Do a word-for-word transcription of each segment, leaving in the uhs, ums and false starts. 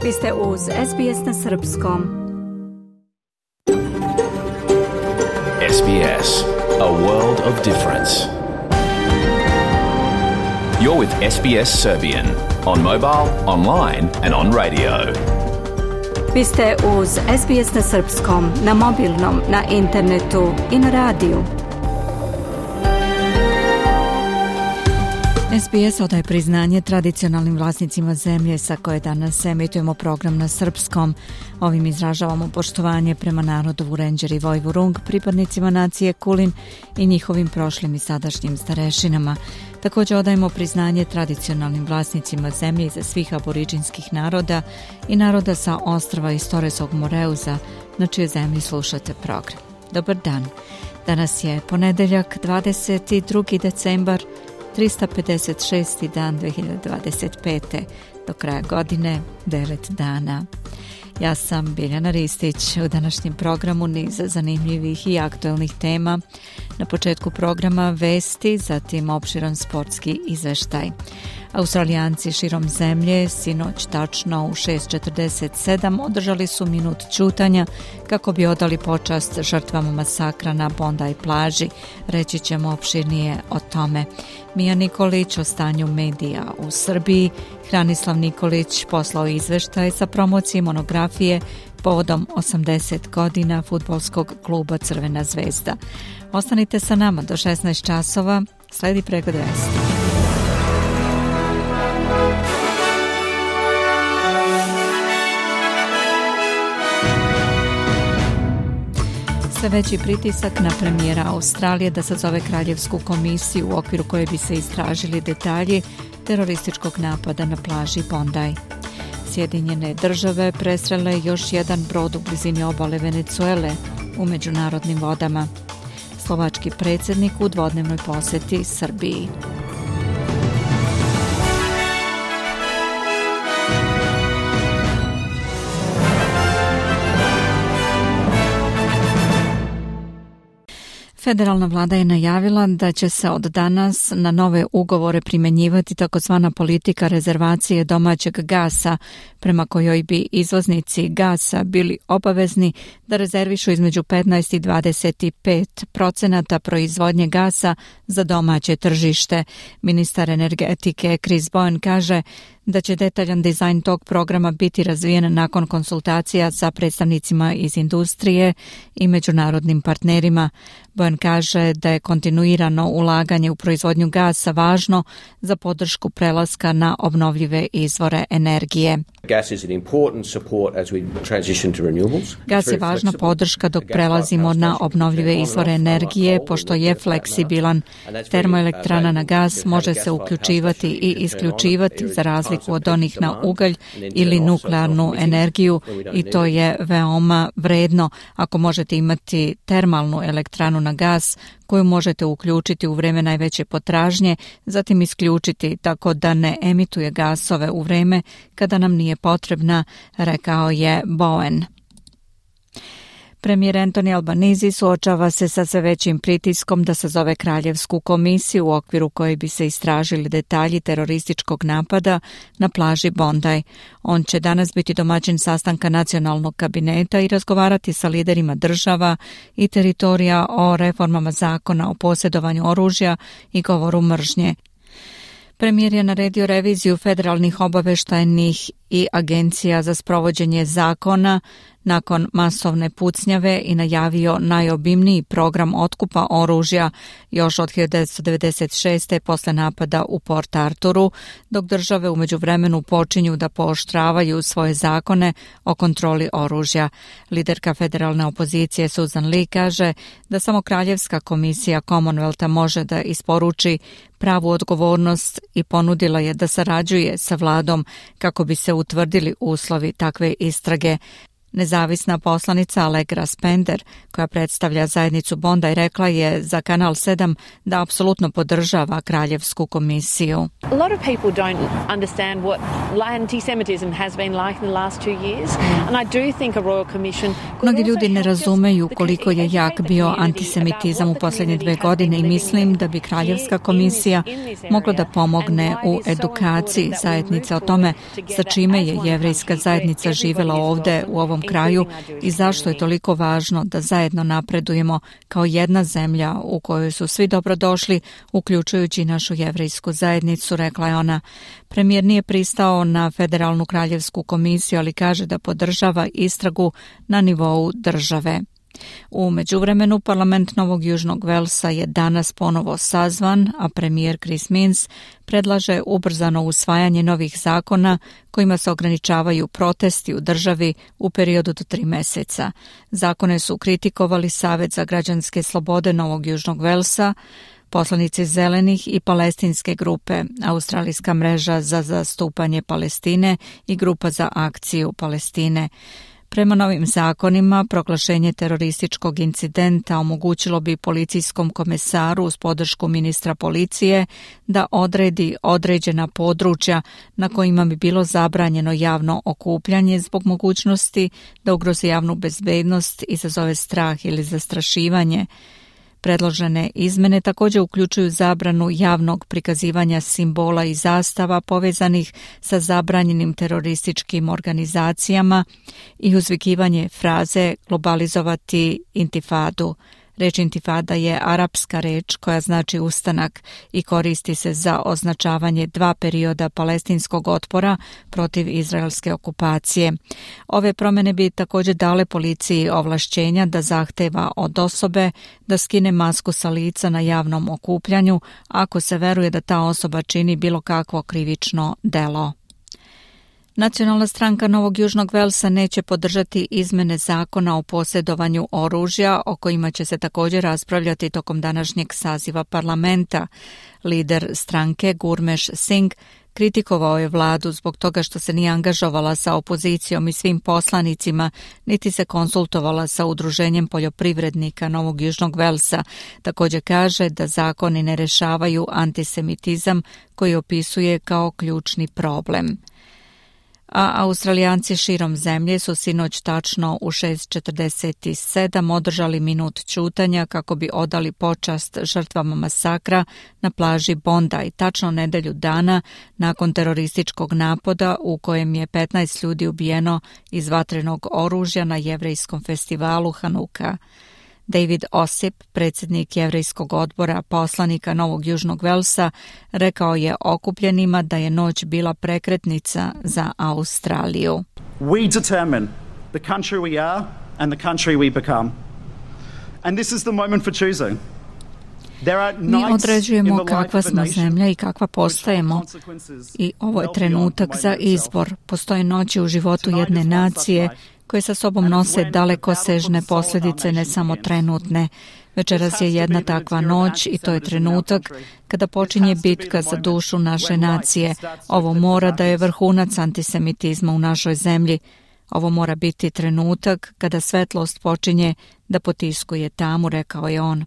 Vi ste uz S B S na srpskom. S B S, a world of difference. You're with S B S Serbian on mobile, online and on radio. Vi ste uz S B S na srpskom, na mobilnom, na internetu i na radiju. S B S odaje priznanje tradicionalnim vlasnicima zemlje sa koje danas emitujemo program na srpskom. Ovim izražavamo poštovanje prema narodu Vurenđer i Vojvurung, pripadnicima nacije Kulin i njihovim prošlim i sadašnjim starešinama. Također odajemo priznanje tradicionalnim vlasnicima zemlje iza svih aboriđinskih naroda i naroda sa ostrva iz Torresog Moreuza, na čijoj zemlji slušate program. Dobar dan. Danas je ponedeljak, dvadeset drugi decembar, trista pedeset šesti dan dve hiljade dvadeset pete. Do kraja godine devet dana. Ja sam Biljana Ristić. U današnjem programu niz zanimljivih i aktuelnih tema. Na početku programa vesti, zatim opširan sportski izveštaj. Australijanci širom zemlje sinoć tačno u šest četrdeset sedam održali su minut ćutanja kako bi odali počast žrtvama masakra na Bondi plaži. Reći ćemo opširnije o tome. Mija Nikolić o stanju medija u Srbiji. Hranislav Nikolić poslao izveštaj sa promocije monografije povodom osamdeset godina fudbalskog kluba Crvena zvezda. Ostanite sa nama do šesnaest časova. Sledi pregled vesti. Sve veći pritisak na premijera Australije da sazove kraljevsku komisiju u okviru koje bi se istražili detalji terorističkog napada na plaži Bondi. Sjedinjene države presrele još jedan brod u blizini obale Venezuele u međunarodnim vodama. Slovački predsjednik u dvodnevnoj posjeti Srbiji. Federalna vlada je najavila da će se od danas na nove ugovore primjenjivati takozvana politika rezervacije domaćeg gasa, prema kojoj bi izvoznici gasa bili obavezni da rezervišu između petnaest i dvadeset pet procenata proizvodnje gasa za domaće tržište. Ministar energetike Chris Bowen kaže da će detaljan dizajn tog programa biti razvijen nakon konsultacija sa predstavnicima iz industrije i međunarodnim partnerima. Bowen kaže da je kontinuirano ulaganje u proizvodnju gasa važno za podršku prelaska na obnovljive izvore energije. Gas je važna podrška dok prelazimo na obnovljive izvore energije, pošto je fleksibilan. Termoelektrana na gas može se uključivati i isključivati za razliku od onih na ugalj ili nuklearnu energiju i to je veoma vredno ako možete imati termalnu elektranu na gas koju možete uključiti u vrijeme najveće potražnje, zatim isključiti tako da ne emituje gasove u vrijeme kada nam nije potrebna, rekao je Bowen. Premijer Anthony Albanese suočava se sa sve većim pritiskom da sazove kraljevsku komisiju u okviru koje bi se istražili detalji terorističkog napada na plaži Bondi. On će danas biti domaćin sastanka nacionalnog kabineta i razgovarati sa liderima država i teritorija o reformama zakona o posjedovanju oružja i govoru mržnje. Premijer je naredio reviziju federalnih obaveštajnih i agencija za sprovođenje zakona nakon masovne pucnjave i najavio najobimniji program otkupa oružja još od hiljadu devetsto devedeset šeste. posle napada u Port Arturu, dok države u međuvremenu počinju da pooštravaju svoje zakone o kontroli oružja. Liderka federalne opozicije Susan Lee kaže da samo kraljevska komisija Commonwealtha može da isporuči pravu odgovornost i ponudila je da sarađuje sa vladom kako bi se utvrdili uslovi takve istrage. Nezavisna poslanica Allegra Spender, koja predstavlja zajednicu Bondi, rekla je za Kanal sedam da apsolutno podržava Kraljevsku komisiju. A lot of people don't understand what anti-Semitism has been like in the last two years, and I do think a Royal Commission. Mnogi ljudi ne razumeju koliko je jak bio antisemitizam u posljednje dve godine i mislim da bi Kraljevska komisija mogla da pomogne u edukaciji zajednice o tome sa čime je jevrejska zajednica živjela ovdje u ovom kraju i zašto je toliko važno da zajedno napredujemo kao jedna zemlja u kojoj su svi dobrodošli, uključujući našu jevrejsku zajednicu, rekla je ona. Premijer nije pristao na Federalnu kraljevsku komisiju, ali kaže da podržava istragu na nivou države. U međuvremenu parlament Novog Južnog Velsa je danas ponovo sazvan, a premijer Chris Minns predlaže ubrzano usvajanje novih zakona kojima se ograničavaju protesti u državi u periodu do tri meseca. Zakone su kritikovali Savet za građanske slobode Novog Južnog Velsa, poslanici Zelenih i palestinske grupe, Australijska mreža za zastupanje Palestine i Grupa za akciju Palestine. Prema novim zakonima, proglašenje terorističkog incidenta omogućilo bi policijskom komesaru uz podršku ministra policije da odredi određena područja na kojima bi bilo zabranjeno javno okupljanje zbog mogućnosti da ugrozi javnu bezbednost, izazove strah ili zastrašivanje. Predložene izmene također uključuju zabranu javnog prikazivanja simbola i zastava povezanih sa zabranjenim terorističkim organizacijama i uzvikivanje fraze globalizovati intifadu. Reč intifada je arapska reč koja znači ustanak i koristi se za označavanje dva perioda palestinskog otpora protiv izraelske okupacije. Ove promjene bi također dale policiji ovlašćenja da zahteva od osobe da skine masku sa lica na javnom okupljanju ako se veruje da ta osoba čini bilo kakvo krivično delo. Nacionalna stranka Novog Južnog Velsa neće podržati izmene zakona o posjedovanju oružja, o kojima će se također raspravljati tokom današnjeg saziva parlamenta. Lider stranke Gurmesh Singh kritikovao je vladu zbog toga što se nije angažovala sa opozicijom i svim poslanicima, niti se konsultovala sa udruženjem poljoprivrednika Novog Južnog Velsa. Također kaže da zakoni ne rešavaju antisemitizam koji opisuje kao ključni problem. A Australijanci širom zemlje su sinoć tačno u šest četrdeset sedam održali minut ćutanja kako bi odali počast žrtvama masakra na plaži Bondi, tačno nedelju dana nakon terorističkog napada u kojem je petnaest ljudi ubijeno iz vatrenog oružja na jevrejskom festivalu Hanuka. David Osip, predsjednik jevrejskog odbora poslanika Novog Južnog Velsa, rekao je okupljenima da je noć bila prekretnica za Australiju. We determine the country we are and the country we become. And this is the moment for choosing. Mi određujemo kakva smo zemlja i kakva postajemo i ovo je trenutak za izbor. Postoje noći u životu jedne nacije koje sa sobom nose dalekosežne posljedice, ne samo trenutne. Večeras je jedna takva noć i to je trenutak kada počinje bitka za dušu naše nacije. Ovo mora da je vrhunac antisemitizma u našoj zemlji. Ovo mora biti trenutak kada svetlost počinje da potiskuje tamu, rekao je on.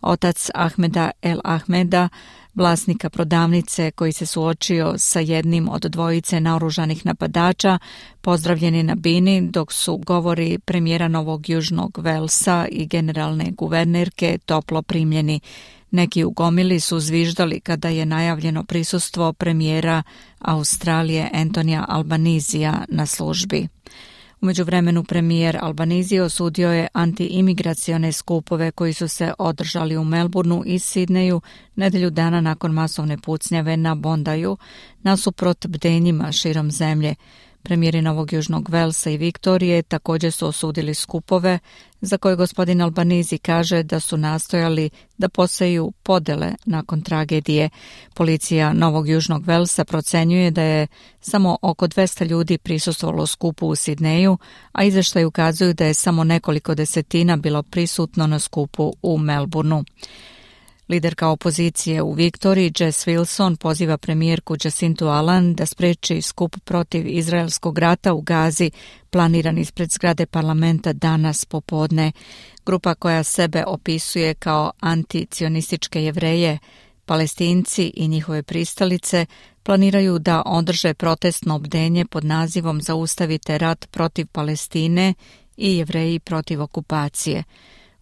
Otac Ahmeda El Ahmeda, vlasnika prodavnice koji se suočio sa jednim od dvojice naoružanih napadača, pozdravljen je na bini dok su govori premijera Novog Južnog Velsa i generalne guvernerke toplo primljeni. Neki u gomili su zviždali kada je najavljeno prisustvo premijera Australije Antonija Albanizija na službi. U međuvremenu premijer Albanizije osudio je antiimigracione skupove koji su se održali u Melbourneu i Sidneju nedelju dana nakon masovne pucnjave na Bondiju, nasuprot bdenjima širom zemlje. Premijeri Novog Južnog Velsa i Viktorije također su osudili skupove za koje gospodin Albanizi kaže da su nastojali da poseju podele nakon tragedije. Policija Novog Južnog Velsa procenjuje da je samo oko dvesta ljudi prisustvovalo skupu u Sidneju, a izvještaji ukazuju da je samo nekoliko desetina bilo prisutno na skupu u Melbourneu. Liderka opozicije u Viktoriji, Jess Wilson, poziva premijerku Jacintu Ardern da spreči skup protiv izraelskog rata u Gazi, planiran ispred zgrade parlamenta danas popodne. Grupa koja sebe opisuje kao anticionističke Jevreje, Palestinci i njihove pristalice planiraju da održe protestno bdenje pod nazivom Zaustavite rat protiv Palestine i Jevreji protiv okupacije.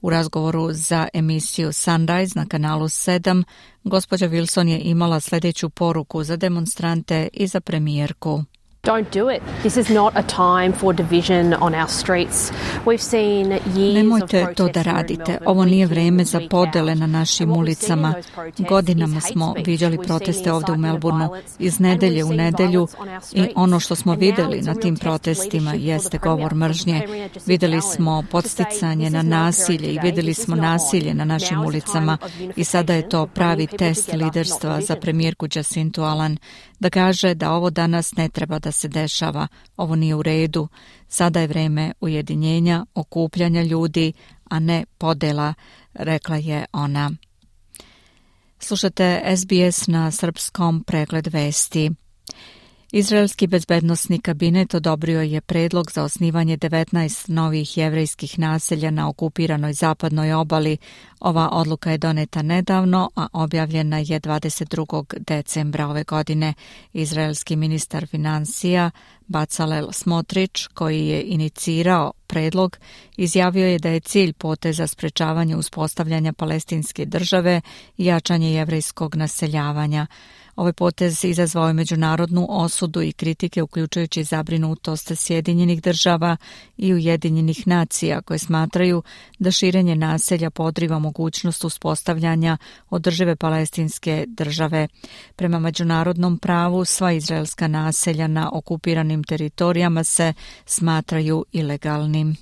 U razgovoru za emisiju Sunrise na kanalu sedam, gospođa Wilson je imala sljedeću poruku za demonstrante i za premijerku. Don't do it. This is not a time for division on our streets. We've seen years Nemojte to da radite. Ovo nije vreme za podele na našim ulicama. Godinama smo viđali proteste ovdje u Melbourneu iz nedelje u nedelju i ono što smo vidjeli na tim protestima jeste govor mržnje. Vidjeli smo podsticanje na nasilje i vidjeli smo nasilje na našim ulicama i sada je to pravi test liderstva za premijerku Jacintu Ardern da kaže da ovo danas ne treba da se dešava, ovo nije u redu. Sada je vreme ujedinjenja, okupljanja ljudi, a ne podela, rekla je ona. Slušate S B S na srpskom, pregled vesti. Izraelski bezbednosni kabinet odobrio je predlog za osnivanje devetnaest novih jevrejskih naselja na okupiranoj zapadnoj obali. Ova odluka je doneta nedavno, a objavljena je dvadeset drugog decembra ove godine. Izraelski ministar financija Bezalel Smotrich, koji je inicirao predlog, izjavio je da je cilj poteza sprečavanje uspostavljanja palestinske države i jačanje jevrejskog naseljavanja. Ovaj potez izazvao je međunarodnu osudu i kritike, uključujući zabrinutost Sjedinjenih država i Ujedinjenih nacija, koje smatraju da širenje naselja podriva mogućnost uspostavljanja održive palestinske države. Prema međunarodnom pravu, sva izraelska naselja na okupiranim teritorijama se smatraju ilegalnim.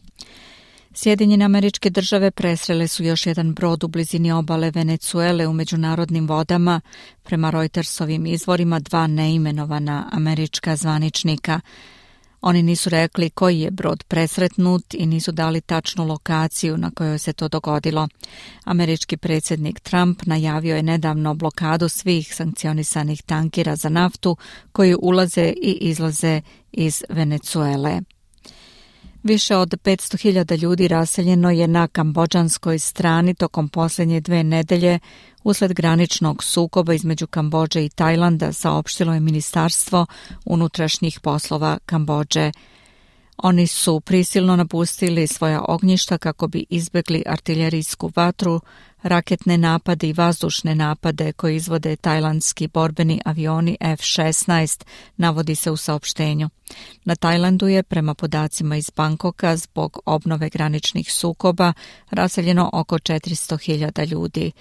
Sjedinjene Američke Države presrele su još jedan brod u blizini obale Venecuele u međunarodnim vodama, prema Reutersovim izvorima dva neimenovana američka zvaničnika. Oni nisu rekli koji je brod presretnut i nisu dali tačnu lokaciju na kojoj se to dogodilo. Američki predsjednik Trump najavio je nedavno blokadu svih sankcionisanih tankera za naftu koji ulaze i izlaze iz Venecuele. Više od petsto hiljada ljudi raseljeno je na kambodžanskoj strani tokom posljednje dve nedelje usled graničnog sukoba između Kambodže i Tajlanda, saopštilo je Ministarstvo unutrašnjih poslova Kambodže. Oni su prisilno napustili svoja ognjišta kako bi izbjegli artiljerijsku vatru, raketne napade i vazdušne napade koje izvode tajlandski borbeni avioni F šesnaest, navodi se u saopštenju. Na Tajlandu je, prema podacima iz Bangkoka, zbog obnove graničnih sukoba raseljeno oko četiristo hiljada ljudi.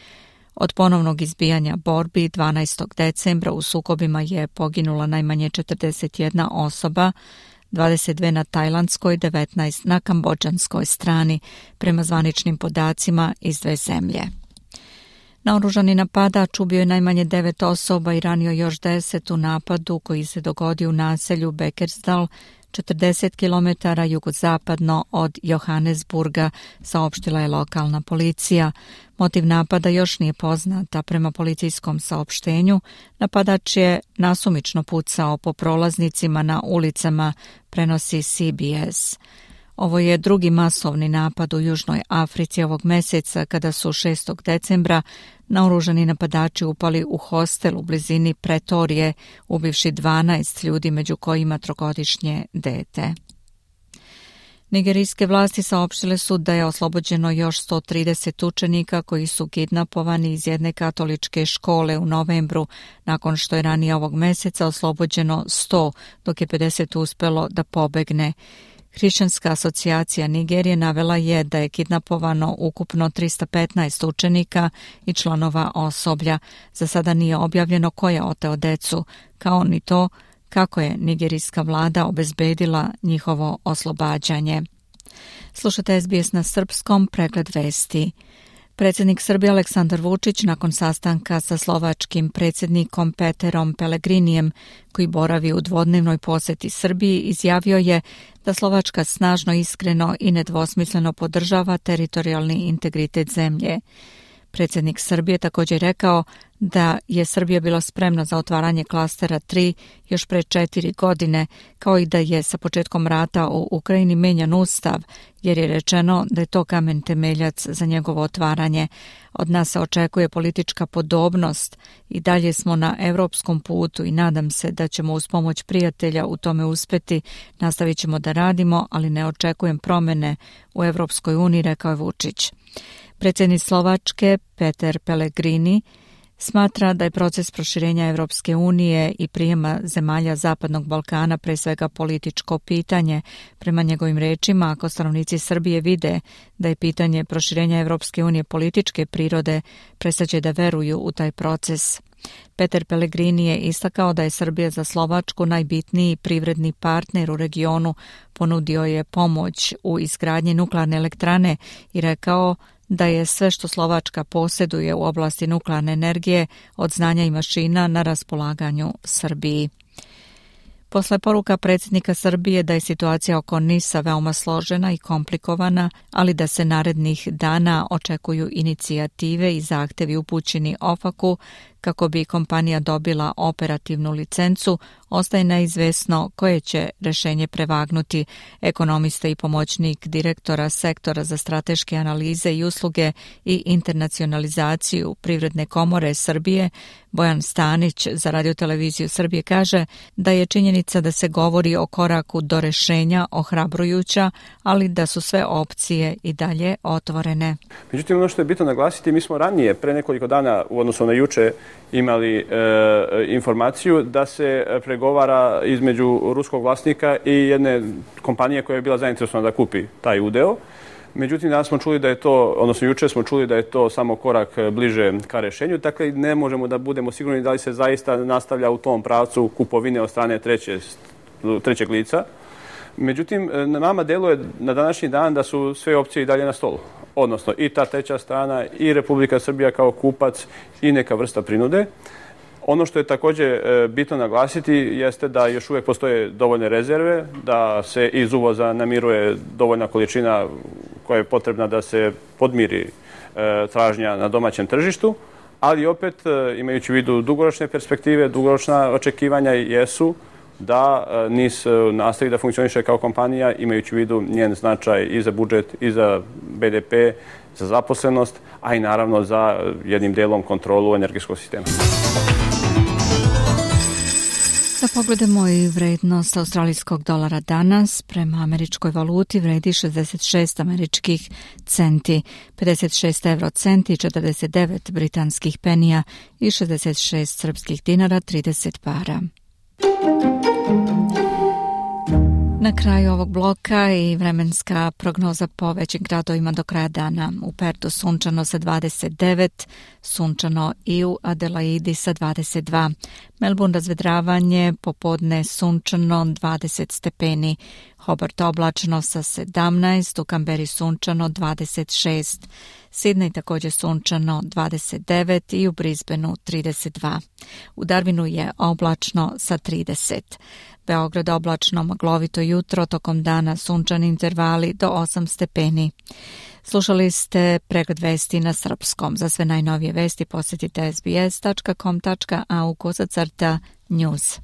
Od ponovnog izbijanja borbi dvanaestog decembra u sukobima je poginula najmanje četrdeset jedna osoba, dvadeset dve na tajlandskoj, devetnaest na kambodžanskoj strani, prema zvaničnim podacima iz dve zemlje. Naoružani napadač ubio je najmanje devet osoba i ranio još deset u napadu koji se dogodio u naselju Beckersdal, četrdeset kilometara jugozapadno od Johannesburga, saopštila je lokalna policija. Motiv napada još nije poznata. Prema policijskom saopštenju, napadač je nasumično pucao po prolaznicima na ulicama, prenosi C B S. Ovo je drugi masovni napad u Južnoj Africi ovog mjeseca, kada su šestog decembra naoružani napadači upali u hostel u blizini Pretorije, ubivši dvanaest ljudi, među kojima trogodišnje dete. Nigerijske vlasti saopštile su da je oslobođeno još sto trideset učenika koji su kidnapovani iz jedne katoličke škole u novembru, nakon što je ranije ovog mjeseca oslobođeno sto, dok je pedeset uspelo da pobegne. Hrišćanska asocijacija Nigerije navela je da je kidnapovano ukupno trista petnaest učenika i članova osoblja. Za sada nije objavljeno ko je oteo decu, kao ni to kako je nigerijska vlada obezbedila njihovo oslobađanje. Slušate S B S na srpskom, pregled vesti. Predsjednik Srbije Aleksandar Vučić nakon sastanka sa slovačkim predsjednikom Peterom Pellegrinijem, koji boravi u dvodnevnoj posjeti Srbiji, izjavio je da Slovačka snažno, iskreno i nedvosmisleno podržava teritorijalni integritet zemlje. Predsjednik Srbije također rekao da je Srbija bila spremna za otvaranje klastera tri još pre četiri godine, kao i da je sa početkom rata u Ukrajini menjan ustav, jer je rečeno da je to kamen temeljac za njegovo otvaranje. Od nas se očekuje politička podobnost i dalje smo na evropskom putu i nadam se da ćemo uz pomoć prijatelja u tome uspeti. Nastavit ćemo da radimo, ali ne očekujem promjene u Evropskoj uniji, rekao je Vučić. Predsjednik Slovačke Peter Pellegrini smatra da je proces proširenja Evropske unije i prijema zemalja Zapadnog Balkana pre svega političko pitanje. Prema njegovim rečima, ako stanovnici Srbije vide da je pitanje proširenja Evropske unije političke prirode, prestaće da veruju u taj proces. Peter Pellegrini je istakao da je Srbija za Slovačku najbitniji privredni partner u regionu, ponudio je pomoć u izgradnji nuklearne elektrane i rekao da je sve što Slovačka posjeduje u oblasti nuklearne energije od znanja i mašina na raspolaganju Srbiji. Posle poruka predsjednika Srbije da je situacija oko Nisa veoma složena i komplikovana, ali da se narednih dana očekuju inicijative i zahtevi upućeni OFAC-u kako bi kompanija dobila operativnu licencu, ostaje neizvesno koje će rešenje prevagnuti. Ekonomista i pomoćnik direktora sektora za strateške analize i usluge i internacionalizaciju Privredne komore Srbije, Bojan Stanić za Radio-televiziju Srbije kaže da je činjenica da se govori o koraku do rešenja ohrabrujuća, ali da su sve opcije i dalje otvorene. Međutim, ono što je bitno naglasiti, mi smo ranije, pre nekoliko dana, u odnosu na juče, imali e, informaciju da se pregovara između ruskog vlasnika i jedne kompanije koja je bila zainteresovana da kupi taj udeo. Međutim, danas smo čuli da je to, odnosno juče smo čuli da je to samo korak bliže ka rešenju, dakle ne možemo da budemo sigurni da li se zaista nastavlja u tom pravcu kupovine od strane treće, trećeg lica. Međutim, na nama deluje na današnji dan da su sve opcije i dalje na stolu. Odnosno i ta treća strana i Republika Srbija kao kupac i neka vrsta prinude. Ono što je također bitno naglasiti jeste da još uvijek postoje dovoljne rezerve, da se iz uvoza namiruje dovoljna količina koja je potrebna da se podmiri tražnja na domaćem tržištu, ali opet imajući u vidu dugoročne perspektive, dugoročna očekivanja jesu da Nis nastavi da funkcioniše kao kompanija, imajući u vidu njen značaj i za budžet, i za be de pe, za zaposlenost, a i naravno za jednim delom kontrolu energetskog sistema. Da pogledamo i vrednost australijskog dolara danas. Prema američkoj valuti vredi šezdeset šest američkih centi, pedeset šest euro centi, četrdeset devet britanskih penija i šezdeset šest srpskih dinara, trideset para. Na kraju ovog bloka i vremenska prognoza po većim gradovima do kraja dana. U Pertu sunčano sa dvadeset devet, sunčano i u Adelaidi sa dvadeset dva. Melbourne razvedravanje, popodne sunčano dvadeset stepeni. Hobart oblačno sa sedamnaest, u Kamberi sunčano dvadeset šest. Sydney također sunčano dvadeset devet i u Brisbaneu trideset dva. U Darwinu je oblačno sa trideset. Beograd oblačno, maglovito jutro, tokom dana sunčani intervali do osam stepeni. Slušali ste pregled vesti na srpskom. Za sve najnovije vesti posjetite es be es tačka com tačka a u kosacrta news.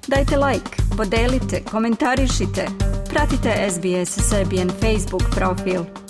Dajte like, podelite, komentarišite. Pratite es be es Serbian Facebook profil.